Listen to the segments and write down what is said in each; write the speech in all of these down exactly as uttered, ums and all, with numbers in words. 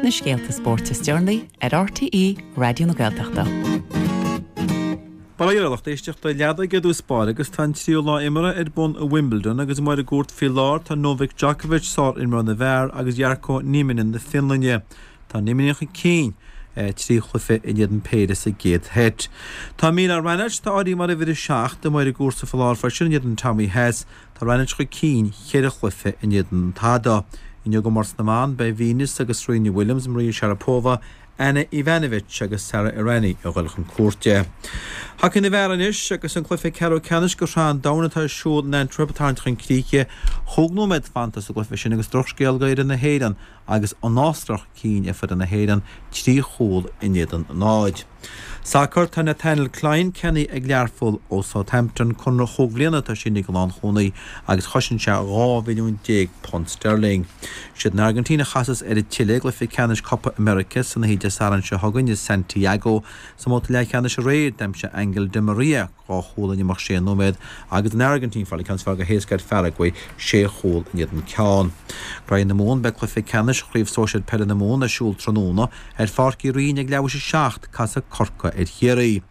Na scéalta spóirt is deireanaí ar RTÉ Raidió na Gaeltachta. Bail ó Dhia ar lucht éisteachta leadóige i dtús báire agus tá an tríú lá imeartha ar bun i Wimbledon agus amuigh ar an gcúirt faoi láthair tá Novak Djokovic, sár-imreoir na bhfear, agus Jarkko Nieminen na Fionlainne. Tá Nieminen chun cinn trí chluiche in éadan péire sa gcéad sheit. Tá Milan Raonic, atá áirithe mar uimhir a seacht, amuigh ar an gcúrsa faoi láthair freisin in éadan Tommy Haas. Tá Raonic chun cinn cheithre chluiche in éadan tada. Inniu i gcomórtas na mban beidh Venus agus Serena Williams, Maria Sharapova, Ana Ivanovic agus Sara Errani a dhul chun cúirte. Hacaí na bhfear anois agus an cluiche ceathrú ceannais de Shraith an Domhain atá ar siúl in Antwerp ag tarraingt chun críche. Chúig nóiméad fanta sa gcluiche sin agus drochscéal d'fhoireann na hÉireann agus an Astráil chun cinn ar fhoireann na hÉireann trí chúl in éadan náid. Sacar tá Nathaniel Clyne ceannaithe ag Learpholl ó Southampton conradh chúig bhliana atá sínithe ag an lánchúlaí agus chosain sé dhá mhilliún déag punt sterling. Siad an Airgintín a chasas ar an tSile i gcluiche ceannais Copa America san oíche Dé Sathairn seo chugainn i Santiago sa mbabhta leathcheannais aréir d'aimsigh Angel Di Maria dhá chúl in imeacht sé nóiméad agus an Airgintín fáil an ceann is fearr go héasca ar Pharaguay sé chúl in éadan ceann. Graí na Mumhan beidh cluiche ceannais Chraobh Sóisir Peile na Mumhan ar siúl tráthnóna ar Pháirc Uí Rinn ag leathuair théis a seacht casfaidh Corcaigh ar Chiarraí.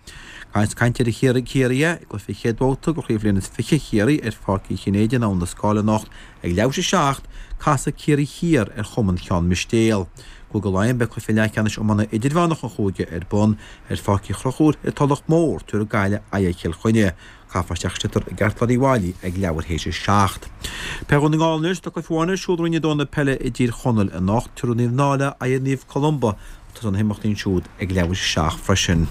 Caint caint ar Chiarraí Ciarraí i gcluiche chéad bhabhta de Chraobh Bhliain is Fiche Chiarraí ar Pháirc Uí Chinnéide in Abhainn an Scáil anocht ag leathuair théis a seacht casfaidh Ciarraí Thiar ar Chumann Cheann Mistéal. Cúige Laighean beidh cluiche leathcheannais iomána idirmheánach an chúige ar bun ar Pháirc Uí Chonchúir ar Tulach Mhór tabharfaidh Gaillimh aghaidh ar Chill Chainnigh. Caithfear isteach sliotar i gceartlár Uí Mhailí ag leathuair théis a seacht. Peil Dhún na nGall anois tá cluiche amháin ar siúl i Roinn a dó na peile i dTír Chonaill anocht tabharfaidh Naomh Náille aghaidh ar Naomh Columba Tá na himeachtaí ansiúd ag leathuair théis a seacht freisin.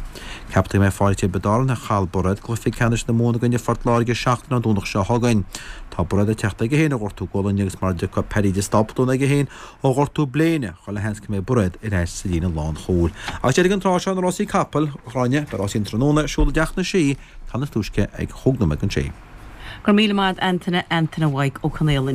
Ceaptar go mbeidh fáilte Tiobraid Árann ar chail Bairéad i gcluiche ceannais na Mumhan i gcoinne Phort Láirge seachtain ón Domhnach seo chugainn. Tá Bairéad ag teacht aige féin ó ghortú gualainne agus mar a dtiocfaidh Paddy de Stopton aige féin ó ghortú bléine, chuile sheans go mbeidh Bairéad ar ais sa líne lánchúil. Agus deireadh an tráth seo na rásaí capall, a Ghráinne, beidh rásaí an tráthnóna ar siúl i dTeach na Sí, ceann is túisce ag chúig nóiméad don sé. Go míle maith Antaine Antaine Mhaidhc Ó Conaola.